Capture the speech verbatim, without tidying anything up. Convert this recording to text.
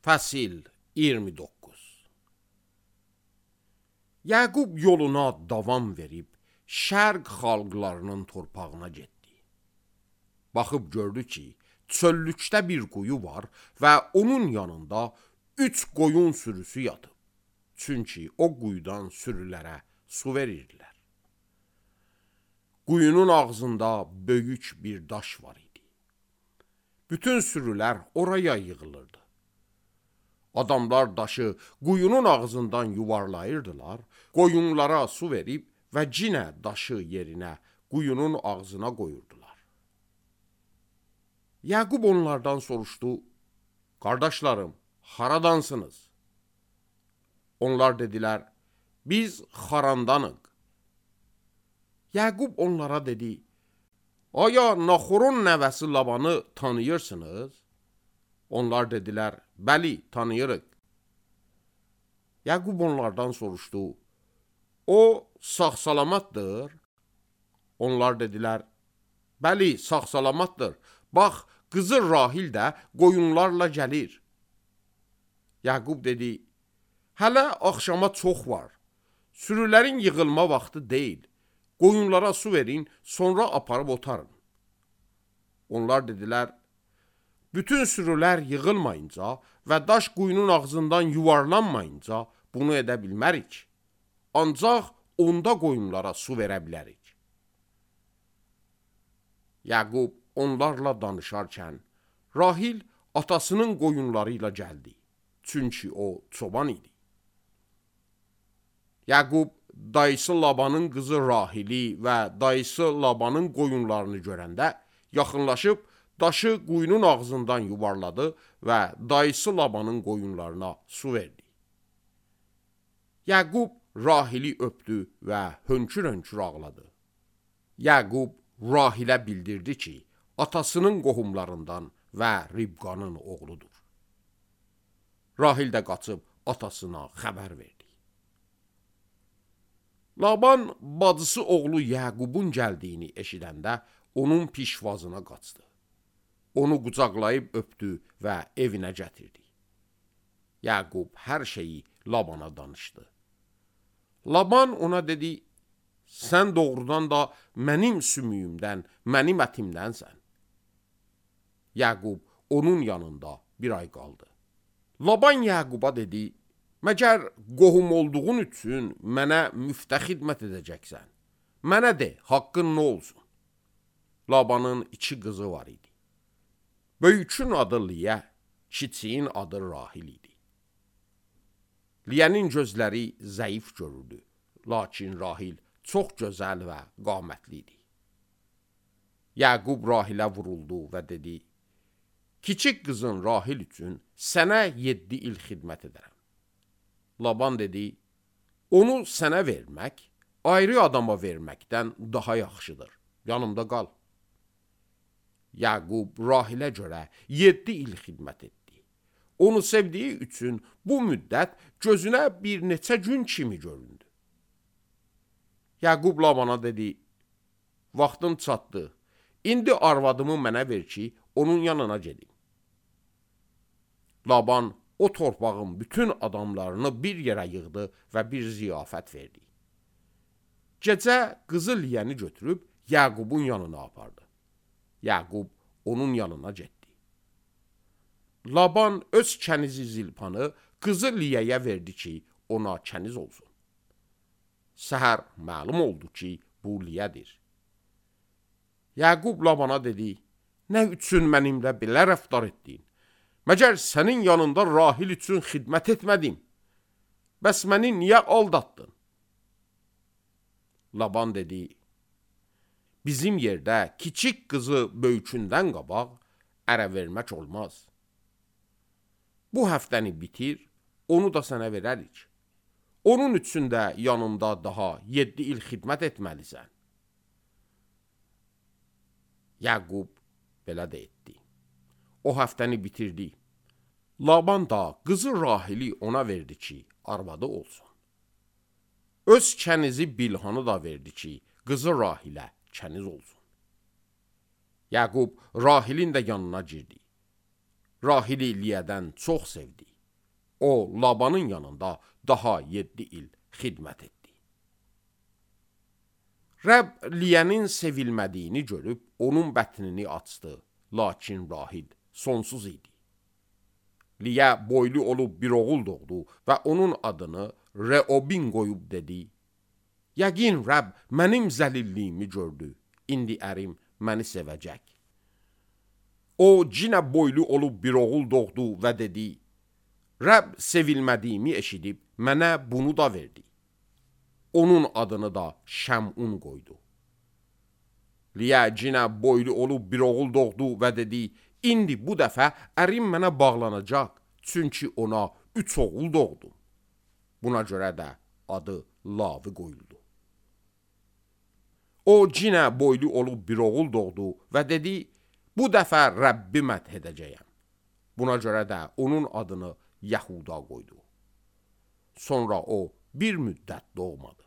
Fəsil iyirmi doqquz. Yaqub yoluna davam verib, şərq xalqlarının torpağına getdi. Baxıb gördü ki, çöllükdə bir quyu var və onun yanında üç qoyun sürüsü yatıb. Çünki o quyudan sürülərə su verirdilər. Quyunun ağzında böyük bir daş var idi. Bütün sürülər oraya yığılırdı. Adamlar daşı quyunun ağzından yuvarlayırdılar, qoyunlara su verib və cinə daşı yerinə quyunun ağzına qoyurdular. Yaqub onlardan soruşdu, qardaşlarım, haradansınız? Onlar dedilər, biz Xarandanıq. Yaqub onlara dedi, aya Naxorun nəvəsi Labanı tanıyırsınız? Onlar dedilər, bəli, tanıyırıq. Yaqub onlardan soruşdu, o sağ-salamatdır? Onlar dedilər, bəli, sağ-salamatdır. Bax, qızı Rahil də qoyunlarla gəlir. Yaqub dedi, hələ axşama çox var. Sürülərin yığılma vaxtı deyil. Qoyunlara su verin, sonra aparıb otarın. Onlar dedilər, bütün sürülər yığılmayınca və daş quyunun ağzından yuvarlanmayınca bunu edə bilmərik. Ancaq onda qoyunlara su verə bilərik. Yaqub onlarla danışarkən, Rahil atasının qoyunları ilə gəldi. Çünki o çoban idi. Yaqub dayısı Labanın qızı Rahili və dayısı Labanın qoyunlarını görəndə yaxınlaşıb daşı quyunun ağzından yuvarladı və dayısı Labanın qoyunlarına su verdi. Yaqub Rahili öpdü və hönkür-hönkür ağladı. Yaqub Rahilə bildirdi ki, atasının qohumlarından və Ribqanın oğludur. Rahil də qaçıb atasına xəbər verdi. Laban bacısı oğlu Yaqubun gəldiyini eşidəndə onun pişvazına qaçdı. Onu qucaqlayıb öpdü və evinə gətirdi. Yaqub hər şeyi Labana danışdı. Laban ona dedi, sən doğrudan da mənim sümüyümdən, mənim ətimdənsən. Yaqub onun yanında bir ay qaldı. Laban Yaquba dedi, məgər qohum olduğun üçün mənə müftə xidmət edəcəksən. Mənə de, haqqın nə olsun? Labanın iki qızı var idi. Böyükün adı Liyə, kiçiyin adı Rahil idi. Liyənin gözləri zəif görürdü, lakin Rahil çox gözəl və qamətli idi. Yaqub Rahilə vuruldu və dedi, kiçik qızın Rahil üçün sənə yeddi il xidmət edərəm. Laban dedi, onu sənə vermək, ayrı adama verməkdən daha yaxşıdır, yanımda qal. Yaqub Rahilə görə yeddi il xidmət etdi. Onu sevdiyi üçün bu müddət gözünə bir neçə gün kimi göründü. Yaqub Labana dedi, vaxtım çatdı, indi arvadımı mənə ver ki, onun yanına gedim. Laban o torpağın bütün adamlarını bir yerə yığdı və bir ziyafət verdi. Gecə qızı Liyəni götürüb Yaqubun yanına apardı. Yaqub onun yanına getdi. Laban öz kənizi Zilpanı qızı Liyəyə verdi ki, ona kəniz olsun. Səhər məlum oldu ki, bu Liyədir. Yaqub Labana dedi, nə üçün mənimlə belə rəftar etdin? Məgər sənin yanında Rahil üçün xidmət etmədim? Bəs məni niyə aldatdın? Laban dedi, bizim yerdə kiçik qızı böyükündən qabaq ərə vermək olmaz. Bu həftəni bitir, onu da sənə verərik. Onun üçün də yanımda daha yeddi il xidmət etməlisən. Yaqub belə də etdi. O həftəni bitirdi. Laban da qızı Rahili ona verdi ki, arvadı olsun. Öz kənizi Bilhanı da verdi ki, qızı Rahilə kəniz olsun. Yaqub Rahilin də yanına girdi. Rahili Liyədən çox sevdi. O, Labanın yanında daha yeddi il xidmət etdi. Rəbb Liyənin sevilmədiyini görüb, onun bətnini açdı, lakin Rahil sonsuz idi. Liyə boylu olub bir oğul doğdu və onun adını Reobin qoyub dedi, yəqin Rəbb mənim zəlilliyimi gördü, indi ərim məni sevəcək. O, cinə boylu olub bir oğul doğdu və dedi, Rəbb sevilmədiyimi eşidib, mənə bunu da verdi. Onun adını da Şəmun qoydu. Liyə cinə boylu olub bir oğul doğdu və dedi, indi bu dəfə ərim mənə bağlanacaq, çünki ona üç oğul doğdu. Buna görə də adı Lavi qoyuldu. O, cinə boylu olub bir oğul doğdu və dedi, bu dəfə Rəbbi məth edəcəyəm. Buna görə də onun adını Yahuda qoydu. Sonra o bir müddət doğmadı.